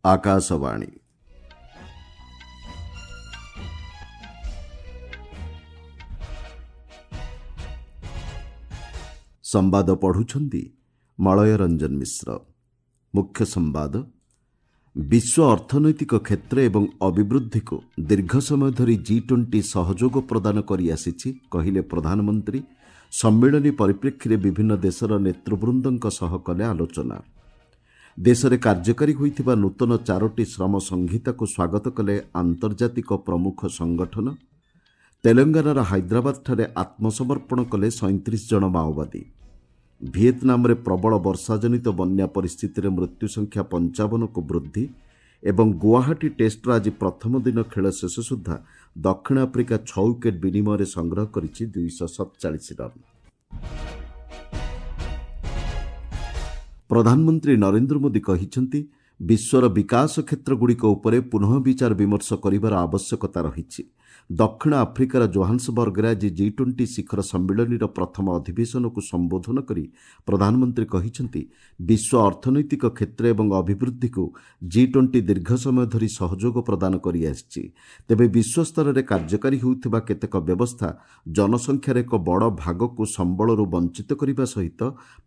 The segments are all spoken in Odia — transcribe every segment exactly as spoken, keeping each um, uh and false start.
ଆକାଶବାଣୀ। ସମ୍ବାଦ ପଢ଼ୁଛନ୍ତି ମଳୟ ରଞ୍ଜନ ମିଶ୍ର। ମୁଖ୍ୟ ସମ୍ବାଦ। ବିଶ୍ୱ ଅର୍ଥନୈତିକ କ୍ଷେତ୍ର ଏବଂ ଅଭିବୃଦ୍ଧିକୁ ଦୀର୍ଘ ସମୟ ଧରି ଜି ଟ୍ୱେଣ୍ଟି ସହଯୋଗ ପ୍ରଦାନ କରିଆସିଛି, କହିଲେ ପ୍ରଧାନମନ୍ତ୍ରୀ। ସମ୍ମିଳନୀ ପରିପ୍ରେକ୍ଷୀରେ ବିଭିନ୍ନ ଦେଶର ନେତୃବୃନ୍ଦଙ୍କ ସହ କଲେ ଆଲୋଚନା। ଦେଶରେ କାର୍ଯ୍ୟକାରୀ ହୋଇଥିବା ନୂତନ ଚାରୋଟି ଶ୍ରମ ସଂହିତାକୁ ସ୍ୱାଗତ କଲେ ଆନ୍ତର୍ଜାତିକ ପ୍ରମୁଖ ସଂଗଠନ। ତେଲେଙ୍ଗାନାର ହାଇଦ୍ରାବାଦଠାରେ ଆତ୍ମସମର୍ପଣ କଲେ ସଇଁତିରିଶ ଜଣ ମାଓବାଦୀ। ଭିଏତନାମରେ ପ୍ରବଳ ବର୍ଷାଜନିତ ବନ୍ୟା ପରିସ୍ଥିତିରେ ମୃତ୍ୟୁ ସଂଖ୍ୟା ପଞ୍ଚାବନକୁ ବୃଦ୍ଧି। ଏବଂ ଗୁଆହାଟୀ ଟେଷ୍ଟର ଆଜି ପ୍ରଥମ ଦିନ ଖେଳ ଶେଷ ସୁଦ୍ଧା ଦକ୍ଷିଣ ଆଫ୍ରିକା ଛଅ ୱିକେଟ୍ ବିନିମୟରେ ସଂଗ୍ରହ କରିଛି ଦୁଇଶହ ସତଚାଳିଶ ରନ୍। ପ୍ରଧାନମନ୍ତ୍ରୀ ନରେନ୍ଦ୍ର ମୋଦି କହିଛନ୍ତି, ବିଶ୍ୱର ବିକାଶ କ୍ଷେତ୍ରଗୁଡ଼ିକ ଉପରେ ପୁନଃ ବିଚାର ବିମର୍ଶ କରିବାର ଆବଶ୍ୟକତା ରହିଛି। ଦକ୍ଷିଣ ଆଫ୍ରିକାର ଜୋହାନ୍ସବର୍ଗରେ ଆଜି ଜି ଟ୍ୱେଣ୍ଟି ଶିଖର ସମ୍ମିଳନୀର ପ୍ରଥମ ଅଧିବେଶନକୁ ସମ୍ବୋଧନ କରି ପ୍ରଧାନମନ୍ତ୍ରୀ କହିଛନ୍ତି, ବିଶ୍ୱ ଅର୍ଥନୈତିକ କ୍ଷେତ୍ର ଏବଂ ଅଭିବୃଦ୍ଧିକୁ ଜି ଟ୍ୱେଣ୍ଟି ଦୀର୍ଘ ସମୟ ଧରି ସହଯୋଗ ପ୍ରଦାନ କରିଆସିଛି। ତେବେ ବିଶ୍ୱସ୍ତରରେ କାର୍ଯ୍ୟକାରୀ ହେଉଥିବା କେତେକ ବ୍ୟବସ୍ଥା ଜନସଂଖ୍ୟାର ଏକ ବଡ଼ ଭାଗକୁ ସମ୍ବଳରୁ ବଞ୍ଚିତ କରିବା ସହିତ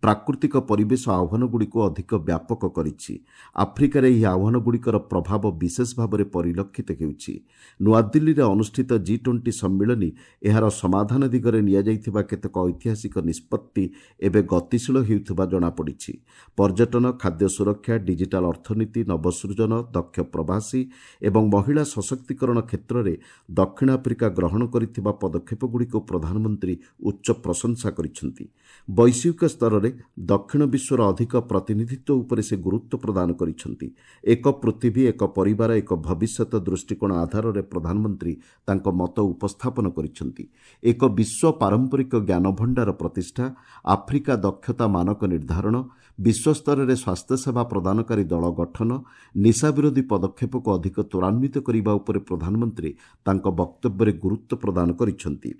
ପ୍ରାକୃତିକ ପରିବେଶ ଆହ୍ୱାନଗୁଡ଼ିକୁ ଅଧିକ ବ୍ୟାପକ କରିଛି। ଆଫ୍ରିକାରେ ଏହି ଆହ୍ୱାନଗୁଡ଼ିକର ପ୍ରଭାବ ବିଶେଷ ଭାବରେ ପରିଲକ୍ଷିତ ହେଉଛି। ନୂଆଦିଲ୍ଲୀରେ ଅନୁଷ୍ଠିତ ଜି ଟ୍ୱେଣ୍ଟି ସମ୍ମିଳନୀ ଏହାର ସମାଧାନ ଦିଗରେ ନିଆଯାଇଥିବା କେତେକ ଐତିହାସିକ ନିଷ୍ପତ୍ତି ଏବେ ଗତିଶୀଳ ହେଉଥିବା ଜଣାପଡ଼ିଛି। ପର୍ଯ୍ୟଟନ, ଖାଦ୍ୟ ସୁରକ୍ଷା, ଡିଜିଟାଲ ଅର୍ଥନୀତି, ନବସୃଜନ, ଦକ୍ଷ ପ୍ରବାସୀ ଏବଂ ମହିଳା ସଶକ୍ତିକରଣ କ୍ଷେତ୍ରରେ ଦକ୍ଷିଣ ଆଫ୍ରିକା ଗ୍ରହଣ କରିଥିବା ପଦକ୍ଷେପଗୁଡ଼ିକୁ ପ୍ରଧାନମନ୍ତ୍ରୀ ଉଚ୍ଚ ପ୍ରଶଂସା କରିଛନ୍ତି। ବୈଶ୍ୱିକ ସ୍ତରରେ ଦକ୍ଷିଣ ବିଶ୍ୱର ଅଧିକ ପ୍ରତିନିଧିତ୍ୱ ଉପରେ ସେ ଗୁରୁତ୍ୱ ପ୍ରଦାନ କରିଛନ୍ତି। ଏକ ପୃଥିବୀ, ଏକ ପରିବାର, ଏକ ଭବିଷ୍ୟତ ଦୃଷ୍ଟିକୋଣ ଆଧାରରେ ପ୍ରଧାନମନ୍ତ୍ରୀ ତାଙ୍କ ମତ ଉପସ୍ଥାପନ କରିଛନ୍ତି। ଏକ ବିଶ୍ୱ ପାରମ୍ପରିକ ଜ୍ଞାନଭଣ୍ଡାର ପ୍ରତିଷ୍ଠା, ଆଫ୍ରିକା ଦକ୍ଷତା ମାନକ ନିର୍ଦ୍ଧାରଣ, ବିଶ୍ୱସ୍ତରରେ ସ୍ୱାସ୍ଥ୍ୟସେବା ପ୍ରଦାନକାରୀ ଦଳ ଗଠନ, ନିଶା ବିରୋଧୀ ପଦକ୍ଷେପକୁ ଅଧିକ ତ୍ୱରାନ୍ୱିତ କରିବା ଉପରେ ପ୍ରଧାନମନ୍ତ୍ରୀ ତାଙ୍କ ବକ୍ତବ୍ୟରେ ଗୁରୁତ୍ୱ ପ୍ରଦାନ କରିଛନ୍ତି।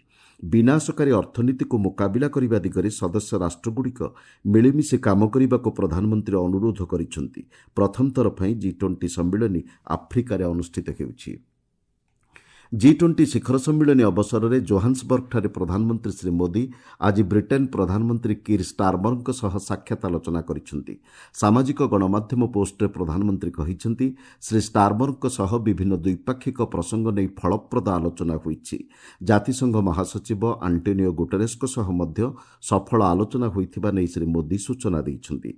ବିନାଶକାରୀ ଅର୍ଥନୀତିକୁ ମୁକାବିଲା କରିବା ଦିଗରେ ସଦସ୍ୟ ରାଷ୍ଟ୍ରଗୁଡ଼ିକ ମିଳିମିଶି କାମ କରିବାକୁ ପ୍ରଧାନମନ୍ତ୍ରୀ ଅନୁରୋଧ କରିଛନ୍ତି। ପ୍ରଥମ ଥର ପାଇଁ ଜି ଟ୍ୱେଣ୍ଟି ସମ୍ମିଳନୀ ଆଫ୍ରିକାରେ ଅନୁଷ୍ଠିତ ହେଉଛି। ଜି ଟ୍ୱେଣ୍ଟି ଶିଖର ସମ୍ମିଳନୀ ଅବସରରେ ଜୋହାନ୍ସବର୍ଗଠାରେ ପ୍ରଧାନମନ୍ତ୍ରୀ ଶ୍ରୀ ମୋଦି ଆଜି ବ୍ରିଟେନ୍ ପ୍ରଧାନମନ୍ତ୍ରୀ କିର୍ ଷ୍ଟାରମରଙ୍କ ସହ ସାକ୍ଷାତ ଆଲୋଚନା କରିଛନ୍ତି। ସାମାଜିକ ଗଣମାଧ୍ୟମ ପୋଷ୍ଟରେ ପ୍ରଧାନମନ୍ତ୍ରୀ କହିଛନ୍ତି, ଶ୍ରୀ ଷ୍ଟାରମରଙ୍କ ସହ ବିଭିନ୍ନ ଦ୍ୱିପାକ୍ଷିକ ପ୍ରସଙ୍ଗ ନେଇ ଫଳପ୍ରଦ ଆଲୋଚନା ହୋଇଛି। ଜାତିସଂଘ ମହାସଚିବ ଆଣ୍ଟୋନିଓ ଗୁଟେରେସ୍ଙ୍କ ସହ ମଧ୍ୟ ସଫଳ ଆଲୋଚନା ହୋଇଥିବା ନେଇ ଶ୍ରୀ ମୋଦି ସୂଚନା ଦେଇଛନ୍ତି।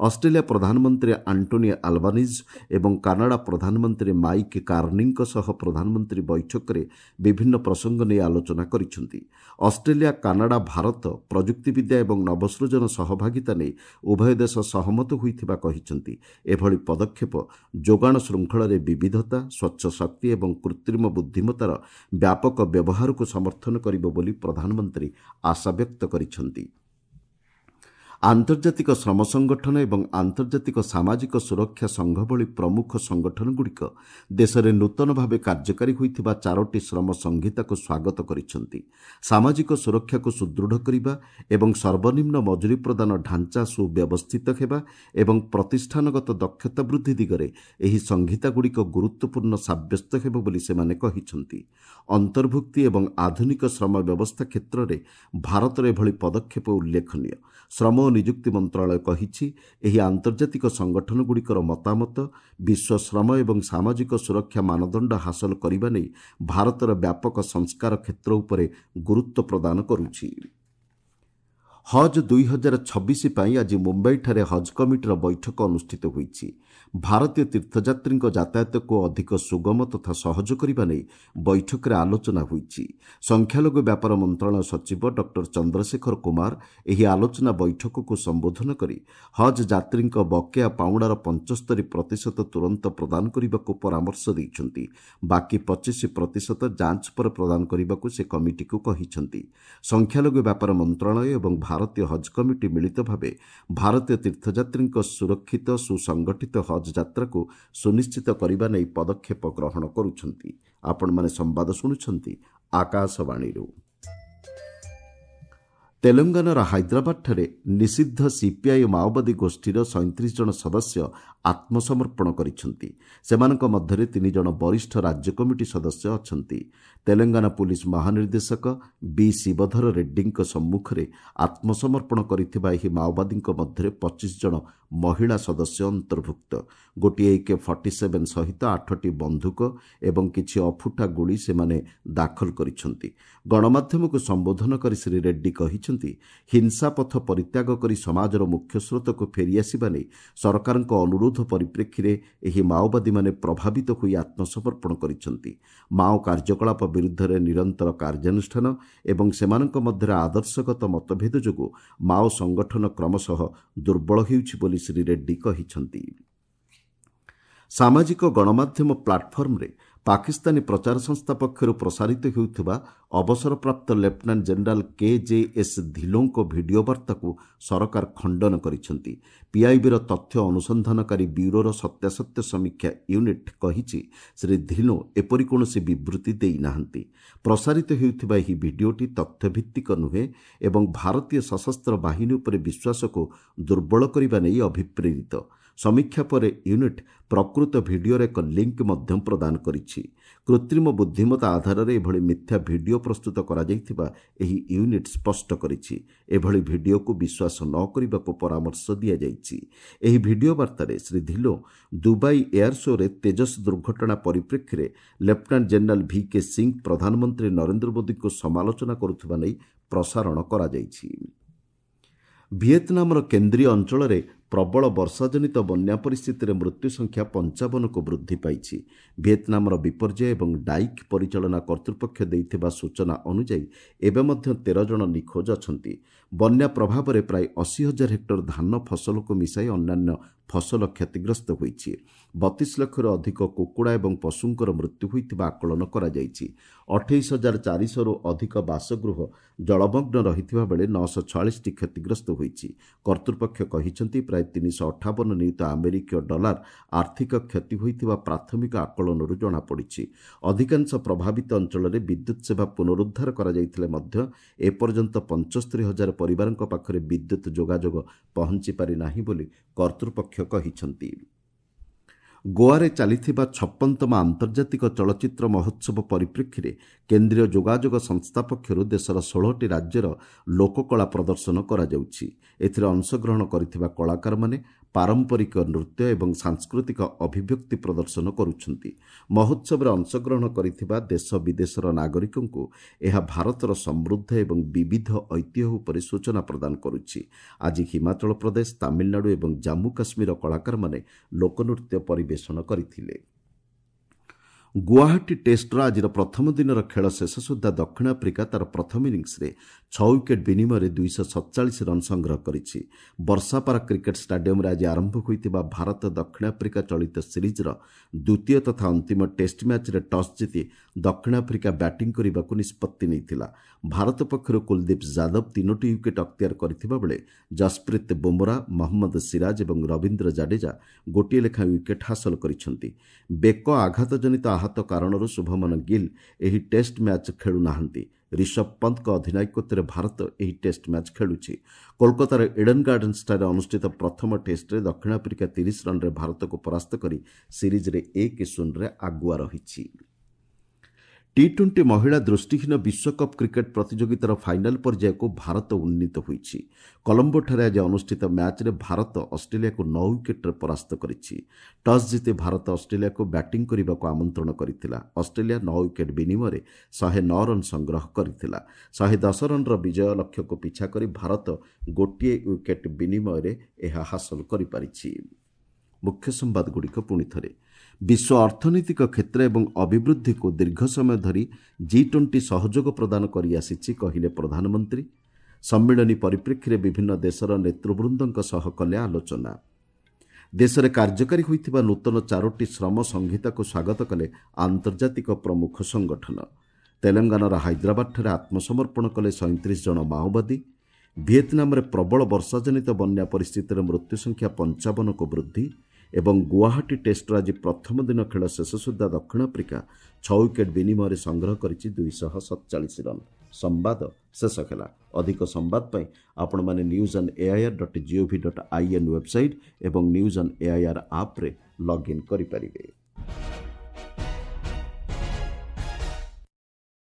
ଅଷ୍ଟ୍ରେଲିଆ ପ୍ରଧାନମନ୍ତ୍ରୀ ଆଣ୍ଟୋନି ଆଲବାନିଜ୍ ଏବଂ କାନାଡା ପ୍ରଧାନମନ୍ତ୍ରୀ ମାଇକ୍ କାର୍ନିଙ୍କ ସହ ପ୍ରଧାନମନ୍ତ୍ରୀ ବୈଠକ ବିଭିନ୍ନ ପ୍ରସଙ୍ଗ ନେଇ ଆଲୋଚନା କରିଛନ୍ତି। ଅଷ୍ଟ୍ରେଲିଆ, କାନାଡା, ଭାରତ ପ୍ରଯୁକ୍ତିବିଦ୍ୟା ଏବଂ ନବସୃଜନ ସହଭାଗିତା ନେଇ ଉଭୟ ଦେଶ ସହମତ ହୋଇଥିବା କହିଛନ୍ତି। ଏଭଳି ପଦକ୍ଷେପ ଯୋଗାଣ ଶୃଙ୍ଖଳରେ ବିବିଧତା, ସ୍ୱଚ୍ଛ ଶକ୍ତି ଏବଂ କୃତ୍ରିମ ବୁଦ୍ଧିମତ୍ତାର ବ୍ୟାପକ ବ୍ୟବହାରକୁ ସମର୍ଥନ କରିବ ବୋଲି ପ୍ରଧାନମନ୍ତ୍ରୀ ଆଶାବ୍ୟକ୍ତ କରିଛନ୍ତି। ଆନ୍ତର୍ଜାତିକ ଶ୍ରମ ସଂଗଠନ ଏବଂ ଆନ୍ତର୍ଜାତିକ ସାମାଜିକ ସୁରକ୍ଷା ସଂଘ ଭଳି ପ୍ରମୁଖ ସଂଗଠନଗୁଡ଼ିକ ଦେଶରେ ନୂତନ ଭାବେ କାର୍ଯ୍ୟକାରୀ ହୋଇଥିବା ଚାରୋଟି ଶ୍ରମ ସଂହିତାକୁ ସ୍ୱାଗତ କରିଛନ୍ତି। ସାମାଜିକ ସୁରକ୍ଷାକୁ ସୁଦୃଢ଼ କରିବା ଏବଂ ସର୍ବନିମ୍ନ ମଜୁରୀ ପ୍ରଦାନ ଢାଞ୍ଚା ସୁବ୍ୟବସ୍ଥିତ ହେବା ଏବଂ ପ୍ରତିଷ୍ଠାନଗତ ଦକ୍ଷତା ବୃଦ୍ଧି ଦିଗରେ ଏହି ସଂହିତାଗୁଡ଼ିକ ଗୁରୁତ୍ୱପୂର୍ଣ୍ଣ ସାବ୍ୟସ୍ତ ହେବ ବୋଲି ସେମାନେ କହିଛନ୍ତି। ଅନ୍ତର୍ଭୁକ୍ତି ଏବଂ ଆଧୁନିକ ଶ୍ରମ ବ୍ୟବସ୍ଥା କ୍ଷେତ୍ରରେ ଭାରତର ଏଭଳି ପଦକ୍ଷେପ ଉଲ୍ଲେଖନୀୟ। ଶ୍ରମ ଓ ନିଯୁକ୍ତି ମନ୍ତ୍ରଣାଳୟ କହିଛି, ଏହି ଆନ୍ତର୍ଜାତିକ ସଂଗଠନଗୁଡ଼ିକର ମତାମତ ବିଶ୍ୱ ଶ୍ରମ ଏବଂ ସାମାଜିକ ସୁରକ୍ଷା ମାନଦଣ୍ଡ ହାସଲ କରିବା ନେଇ ଭାରତର ବ୍ୟାପକ ସଂସ୍କାର କ୍ଷେତ୍ର ଉପରେ ଗୁରୁତ୍ୱ ପ୍ରଦାନ କରୁଛି। ହଜ୍ ଦୁଇ ହଜାର ଛବିଶ ପାଇଁ ଆଜି ମୁମ୍ବାଇଠାରେ ହଜ୍ କମିଟିର ବୈଠକ ଅନୁଷ୍ଠିତ ହୋଇଛି। ଭାରତୀୟ ତୀର୍ଥଯାତ୍ରୀଙ୍କ ଯାତାୟାତକୁ ଅଧିକ ସୁଗମ ତଥା ସହଜ କରିବା ନେଇ ବୈଠକରେ ଆଲୋଚନା ହୋଇଛି। ସଂଖ୍ୟାଲଘୁ ବ୍ୟାପାର ମନ୍ତ୍ରଣାଳୟ ସଚିବ ଡକ୍ଟର ଚନ୍ଦ୍ରଶେଖର କୁମାର ଏହି ଆଲୋଚନା ବୈଠକକୁ ସମ୍ବୋଧନ କରି ହଜ୍ ଯାତ୍ରୀଙ୍କ ବକେୟା ପାଉଣାର ପଞ୍ଚସ୍ତରୀ ପ୍ରତିଶତ ତୁରନ୍ତ ପ୍ରଦାନ କରିବାକୁ ପରାମର୍ଶ ଦେଇଛନ୍ତି। ବାକି ପଚିଶ ପ୍ରତିଶତ ଯାଞ୍ଚ ପରେ ପ୍ରଦାନ କରିବାକୁ ସେ କମିଟିକୁ କହିଛନ୍ତି। ସଂଖ୍ୟାଲଘୁ ବ୍ୟାପାର ମନ୍ତ୍ରଣାଳୟ ଏବଂ ଭାରତୀୟ ହଜ୍ କମିଟି ମିଳିତ ଭାବେ ଭାରତୀୟ ତୀର୍ଥଯାତ୍ରୀଙ୍କ ସୁରକ୍ଷିତ ସୁସଂଗଠିତ ହଜ୍ ଯାତ୍ରାକୁ ସୁନିଶ୍ଚିତ କରିବା ନେଇ ପଦକ୍ଷେପ ଗ୍ରହଣ କରୁଛନ୍ତି। ଆପଣମାନେ ସମ୍ବାଦ ଶୁଣୁଛନ୍ତି ଆକାଶବାଣୀରୁ। ତେଲେଙ୍ଗାନାର ହାଇଦ୍ରାବାଦଠାରେ ନିଷିଦ୍ଧ ସିପିଆଇ ମାଓବାଦୀ ଗୋଷ୍ଠୀର ସଇଁତିରିଶ ଜଣ ସଦସ୍ୟ ଆତ୍ମସମର୍ପଣ କରିଛନ୍ତି। ସେମାନଙ୍କ ମଧ୍ୟରେ ତିନି ଜଣ ବରିଷ୍ଠ ରାଜ୍ୟ କମିଟି ସଦସ୍ୟ ଅଛନ୍ତି। ତେଲେଙ୍ଗାନା ପୁଲିସ ମହାନିର୍ଦ୍ଦେଶକ ବି ଶିବଧର ରେଡ୍ଡୀଙ୍କ ସମ୍ମୁଖରେ ଆତ୍ମସମର୍ପଣ କରିଥିବା ଏହି ମାଓବାଦୀଙ୍କ ମଧ୍ୟରେ ପଚିଶ ଜଣ ମହିଳା ସଦସ୍ୟ ଅନ୍ତର୍ଭୁକ୍ତ। ଗୋଟିଏ ଏକେ ଫର୍ଟି ସେଭେନ୍ ସହିତ ଆଠଟି ବନ୍ଧୁକ ଏବଂ କିଛି ଅଫୁଟା ଗୁଳି ସେମାନେ ଦାଖଲ କରିଛନ୍ତି। ଗଣମାଧ୍ୟମକୁ ସମ୍ବୋଧନ କରି ଶ୍ରୀ ରେଡ୍ଡୀ କହିଛନ୍ତି, ହିଂସା ପଥ ପରିତ୍ୟାଗ କରି ସମାଜର ମୁଖ୍ୟସ୍ରୋତକୁ ଫେରିଆସିବା ନେଇ ସରକାରଙ୍କ ଅନୁରୋଧ ପରିପ୍ରେକ୍ଷୀରେ ଏହି ମାଓବାଦୀମାନେ ପ୍ରଭାବିତ ହୋଇ ଆତ୍ମସମର୍ପଣ କରିଛନ୍ତି। ମାଓ କାର୍ଯ୍ୟକଳାପ ବିରୁଦ୍ଧରେ ନିରନ୍ତର କାର୍ଯ୍ୟାନୁଷ୍ଠାନ ଏବଂ ସେମାନଙ୍କ ମଧ୍ୟରେ ଆଦର୍ଶଗତ ମତଭେଦ ଯୋଗୁଁ ମାଓ ସଂଗଠନ କ୍ରମଶଃ ଦୁର୍ବଳ ହେଉଛି ବୋଲି ଶ୍ରୀ ରେଡ୍ଡୀ କହିଛନ୍ତି। ସାମାଜିକ ଗଣମାଧ୍ୟମ ପ୍ଲାଟଫର୍ମରେ ପାକିସ୍ତାନୀ ପ୍ରଚାର ସଂସ୍ଥା ପକ୍ଷରୁ ପ୍ରସାରିତ ହେଉଥିବା ଅବସରପ୍ରାପ୍ତ lieutenant general K J S ଧିଲୋଙ୍କ video ବାର୍ତ୍ତାକୁ ସରକାର ଖଣ୍ଡନ କରିଛନ୍ତି। ପିଆଇବିର ତଥ୍ୟ ଅନୁସନ୍ଧାନକାରୀ ବ୍ୟୁରୋର ସତ୍ୟାସତ୍ୟ ସମୀକ୍ଷା ୟୁନିଟ୍ କହିଛି, ଶ୍ରୀ ଧିଲୋ ଏପରି କୌଣସି ବିବୃତି ଦେଇନାହାନ୍ତି। ପ୍ରସାରିତ ହେଉଥିବା ଏହି ଭିଡିଓଟି ତଥ୍ୟଭିତ୍ତିକ ନୁହେଁ ଏବଂ ଭାରତୀୟ ସଶସ୍ତ୍ର ବାହିନୀ ଉପରେ ବିଶ୍ୱାସକୁ ଦୁର୍ବଳ କରିବା ନେଇ ଅଭିପ୍ରେରିତ। ସମୀକ୍ଷା ପରେ ୟୁନିଟ୍ ପ୍ରକୃତ ଭିଡିଓର ଏକ ଲିଙ୍କ ମଧ୍ୟ ପ୍ରଦାନ କରିଛି। କୃତ୍ରିମ ବୁଦ୍ଧିମତ୍ତା ଆଧାରରେ ଏଭଳି ମିଥ୍ୟା ଭିଡିଓ ପ୍ରସ୍ତୁତ କରାଯାଇଥିବା ଏହି ୟୁନିଟ୍ ସ୍ପଷ୍ଟ କରିଛି। ଏଭଳି ଭିଡିଓକୁ ବିଶ୍ୱାସ ନ କରିବାକୁ ପରାମର୍ଶ ଦିଆଯାଇଛି। ଏହି ଭିଡିଓ ବାର୍ତ୍ତାରେ ଶ୍ରୀ ଧିଲୋ ଦୁବାଇ ଏୟାର ଶୋରେ ତେଜସ୍ ଦୁର୍ଘଟଣା ପରିପ୍ରେକ୍ଷୀରେ lieutenant general V K Singh ପ୍ରଧାନମନ୍ତ୍ରୀ ନରେନ୍ଦ୍ର ମୋଦିଙ୍କୁ ସମାଲୋଚନା କରୁଥିବା ନେଇ ପ୍ରସାରଣ କରାଯାଇଛି। ଭିଏତନାମର କେନ୍ଦ୍ରୀୟ ଅଞ୍ଚଳରେ ପ୍ରବଳ ବର୍ଷାଜନିତ ବନ୍ୟା ପରିସ୍ଥିତିରେ ମୃତ୍ୟୁ ସଂଖ୍ୟା ପଞ୍ଚାବନକୁ ବୃଦ୍ଧି ପାଇଛି। ଭିଏତନାମର ବିପର୍ଯ୍ୟୟ ଏବଂ ଡାଇକ୍ ପରିଚାଳନା କର୍ତ୍ତୃପକ୍ଷ ଦେଇଥିବା ସୂଚନା ଅନୁଯାୟୀ ଏବେ ମଧ୍ୟ ତେର ଜଣ ନିଖୋଜ ଅଛନ୍ତି। ବନ୍ୟା ପ୍ରଭାବରେ ପ୍ରାୟ ଅଶୀ ହଜାର ହେକ୍ଟର ଧାନ ଫସଲକୁ ମିଶାଇ ଅନ୍ୟାନ୍ୟ ଫସଲ କ୍ଷତିଗ୍ରସ୍ତ ହୋଇଛି। ବତିଶ ଲକ୍ଷରୁ ଅଧିକ କୁକୁଡ଼ା ଏବଂ ପଶୁଙ୍କର ମୃତ୍ୟୁ ହୋଇଥିବା ଆକଳନ କରାଯାଇଛି। ଅଠେଇଶ ହଜାର ଚାରିଶହରୁ ଅଧିକ ବାସଗୃହ ଜଳମଗ୍ନ ରହିଥିବା ବେଳେ ନଅଶହ ଛୟାଳିଶଟି କ୍ଷତିଗ୍ରସ୍ତ ହୋଇଛି। କର୍ତ୍ତୃପକ୍ଷ କହିଛନ୍ତି, ପ୍ରାୟ ତିନିଶହ ଅଠାବନ ନିୟୁତ ଆମେରିକୀୟ ଡଲାର ଆର୍ଥିକ କ୍ଷତି ହୋଇଥିବା ପ୍ରାଥମିକ ଆକଳନରୁ ଜଣାପଡ଼ିଛି। ଅଧିକାଂଶ ପ୍ରଭାବିତ ଅଞ୍ଚଳରେ ବିଦ୍ୟୁତ୍ ସେବା ପୁନରୁଦ୍ଧାର କରାଯାଇଥିଲେ ମଧ୍ୟ ଏପର୍ଯ୍ୟନ୍ତ ପଞ୍ଚସ୍ତରୀ ହଜାର ପରିବାରଙ୍କ ପାଖରେ ବିଦ୍ୟୁତ୍ ଯୋଗାଯୋଗ ପହଞ୍ଚି ପାରିନାହିଁ ବୋଲି କର୍ତ୍ତୃପକ୍ଷ କହିଛନ୍ତି। ଗୋଆରେ ଚାଲିଥିବା ଛପନତମ ଆନ୍ତର୍ଜାତିକ ଚଳଚ୍ଚିତ୍ର ମହୋତ୍ସବ ପରିପ୍ରେକ୍ଷୀରେ କେନ୍ଦ୍ରୀୟ ଯୋଗାଯୋଗ ସଂସ୍ଥା ପକ୍ଷରୁ ଦେଶର ଷୋହଳଟି ରାଜ୍ୟର ଲୋକକଳା ପ୍ରଦର୍ଶନ କରାଯାଉଛି। ଏଥିରେ ଅଂଶଗ୍ରହଣ କରିଥିବା କଳାକାରମାନେ ପାରମ୍ପରିକ ନୃତ୍ୟ ଏବଂ ସାଂସ୍କୃତିକ ଅଭିବ୍ୟକ୍ତି ପ୍ରଦର୍ଶନ କରୁଛନ୍ତି। ମହୋତ୍ସବରେ ଅଂଶଗ୍ରହଣ କରିଥିବା ଦେଶ ବିଦେଶର ନାଗରିକଙ୍କୁ ଏହା ଭାରତର ସମୃଦ୍ଧ ଏବଂ ବିବିଧ ଐତିହ୍ୟ ଉପରେ ସୂଚନା ପ୍ରଦାନ କରୁଛି। ଆଜି ହିମାଚଳ ପ୍ରଦେଶ, ତାମିଲନାଡୁ ଏବଂ ଜାମ୍ମୁ କାଶ୍ମୀରର କଳାକାରମାନେ ଲୋକନୃତ୍ୟ ପରିବେଷଣ କରିଥିଲେ। ଗୁଆହାଟୀ ଟେଷ୍ଟର ଆଜିର ପ୍ରଥମ ଦିନର ଖେଳ ଶେଷ ସୁଦ୍ଧା ଦକ୍ଷିଣ ଆଫ୍ରିକା ତା'ର ପ୍ରଥମ ଇନିଂସରେ ଛଅ ୱିକେଟ୍ ବିନିମୟରେ ଦୁଇଶହ ସତଚାଳିଶ ରନ୍ ସଂଗ୍ରହ କରିଛି। ବର୍ଷାପାରା କ୍ରିକେଟ୍ ଷ୍ଟାଡିୟମରେ ଆଜି ଆରମ୍ଭ ହୋଇଥିବା ଭାରତ ଦକ୍ଷିଣ ଆଫ୍ରିକା ଚଳିତ ସିରିଜ୍ର ଦ୍ୱିତୀୟ ତଥା ଅନ୍ତିମ ଟେଷ୍ଟ ମ୍ୟାଚ୍ରେ ଟସ୍ ଜିତି ଦକ୍ଷିଣ ଆଫ୍ରିକା ବ୍ୟାଟିଂ କରିବାକୁ ନିଷ୍ପତ୍ତି ନେଇଥିଲା। ଭାରତ ପକ୍ଷରୁ କୁଲଦୀପ ଯାଦବ ତିନୋଟି ୱିକେଟ୍ ଅକ୍ତିଆର କରିଥିବା ବେଳେ ଜସପ୍ରୀତ ବୁମରା, ମହମ୍ମଦ ସିରାଜ ଏବଂ ରବୀନ୍ଦ୍ର ଜାଡେଜା ଗୋଟିଏ ଲେଖାଏଁ ୱିକେଟ୍ ହାସଲ କରିଛନ୍ତି। ବେକ ଆଘାତଜନିତ ଆହତ କାରଣରୁ ଶୁଭମନ ଗିଲ୍ ଏହି ଟେଷ୍ଟ ମ୍ୟାଚ୍ ଖେଳୁନାହାନ୍ତି। ରିଷଭ ପନ୍ତଙ୍କ ଅଧିନାୟକତ୍ୱରେ ଭାରତ ଏହି ଟେଷ୍ଟ ମ୍ୟାଚ୍ ଖେଳୁଛି। କୋଲକାତାର ଇଡେନ୍ ଗାର୍ଡେନ୍ସଠାରେ ଅନୁଷ୍ଠିତ ପ୍ରଥମ ଟେଷ୍ଟରେ ଦକ୍ଷିଣ ଆଫ୍ରିକା ତିରିଶ ରନ୍ରେ ଭାରତକୁ ପରାସ୍ତ କରି ସିରିଜ୍ରେ ଏକ ଶୂନରେ ଆଗୁଆ ରହିଛି। ଟି ଟ୍ୱେଣ୍ଟି ମହିଳା ଦୃଷ୍ଟିହୀନ ବିଶ୍ୱକପ୍ କ୍ରିକେଟ୍ ପ୍ରତିଯୋଗିତାର ଫାଇନାଲ୍ ପର୍ଯ୍ୟାୟକୁ ଭାରତ ଉନ୍ନୀତ ହୋଇଛି। କଲମ୍ବୋଠାରେ ଆଜି ଅନୁଷ୍ଠିତ ମ୍ୟାଚ୍ରେ ଭାରତ ଅଷ୍ଟ୍ରେଲିଆକୁ ନଅ ୱିକେଟ୍ରେ ପରାସ୍ତ କରିଛି। ଟସ୍ ଜିତି ଭାରତ ଅଷ୍ଟ୍ରେଲିଆକୁ ବ୍ୟାଟିଂ କରିବାକୁ ଆମନ୍ତ୍ରଣ କରିଥିଲା। ଅଷ୍ଟ୍ରେଲିଆ ନଅ ୱିକେଟ୍ ବିନିମୟରେ ଶହେ ନଅ ରନ୍ ସଂଗ୍ରହ କରିଥିଲା। ଶହେ ଦଶ ରନ୍ର ବିଜୟ ଲକ୍ଷ୍ୟକୁ ପିଛା କରି ଭାରତ ଗୋଟିଏ ୱିକେଟ୍ ବିନିମୟରେ ଏହା ହାସଲ କରିପାରିଛି। ମୁଖ୍ୟ ସମ୍ବାଦଗୁଡ଼ିକ ପୁଣି ଥରେ। ବିଶ୍ୱ ଅର୍ଥନୈତିକ କ୍ଷେତ୍ର ଏବଂ ଅଭିବୃଦ୍ଧିକୁ ଦୀର୍ଘ ସମୟ ଧରି ଜି ଟ୍ୱେଣ୍ଟି ସହଯୋଗ ପ୍ରଦାନ କରିଆସିଛି, କହିଲେ ପ୍ରଧାନମନ୍ତ୍ରୀ। ସମ୍ମିଳନୀ ପରିପ୍ରେକ୍ଷୀରେ ବିଭିନ୍ନ ଦେଶର ନେତୃବୃନ୍ଦଙ୍କ ସହ କଲେ ଆଲୋଚନା। ଦେଶରେ କାର୍ଯ୍ୟକାରୀ ହୋଇଥିବା ନୂତନ ଚାରୋଟି ଶ୍ରମ ସଂହିତାକୁ ସ୍ୱାଗତ କଲେ ଆନ୍ତର୍ଜାତିକ ପ୍ରମୁଖ ସଂଗଠନ। ତେଲେଙ୍ଗାନାର ହାଇଦ୍ରାବାଦଠାରେ ଆତ୍ମସମର୍ପଣ କଲେ ସଇଁତିରିଶ ଜଣ ମାଓବାଦୀ। ଭିଏତନାମରେ ପ୍ରବଳ ବର୍ଷାଜନିତ ବନ୍ୟା ପରିସ୍ଥିତିରେ ମୃତ୍ୟୁ ସଂଖ୍ୟା ପଞ୍ଚାବନକୁ ବୃଦ୍ଧି। ଏବଂ ଗୁଆହାଟୀ ଟେଷ୍ଟର ଆଜି ପ୍ରଥମ ଦିନ ଖେଳ ଶେଷ ସୁଦ୍ଧା ଦକ୍ଷିଣ ଆଫ୍ରିକା ଛଅ ୱିକେଟ୍ ବିନିମୟରେ ସଂଗ୍ରହ କରିଛି ଦୁଇଶହ ସତଚାଳିଶ ରନ୍। ସମ୍ବାଦ ଶେଷ ହେଲା। ଅଧିକ ସମ୍ବାଦ ପାଇଁ ଆପଣମାନେ news on AIR dot GOV dot I N website ଏବଂ ନ୍ୟୁଜ୍ ଅନ୍ ଏଆଇଆର୍ ଆପ୍ରେ ଲଗ୍ଇନ୍ କରିପାରିବେ।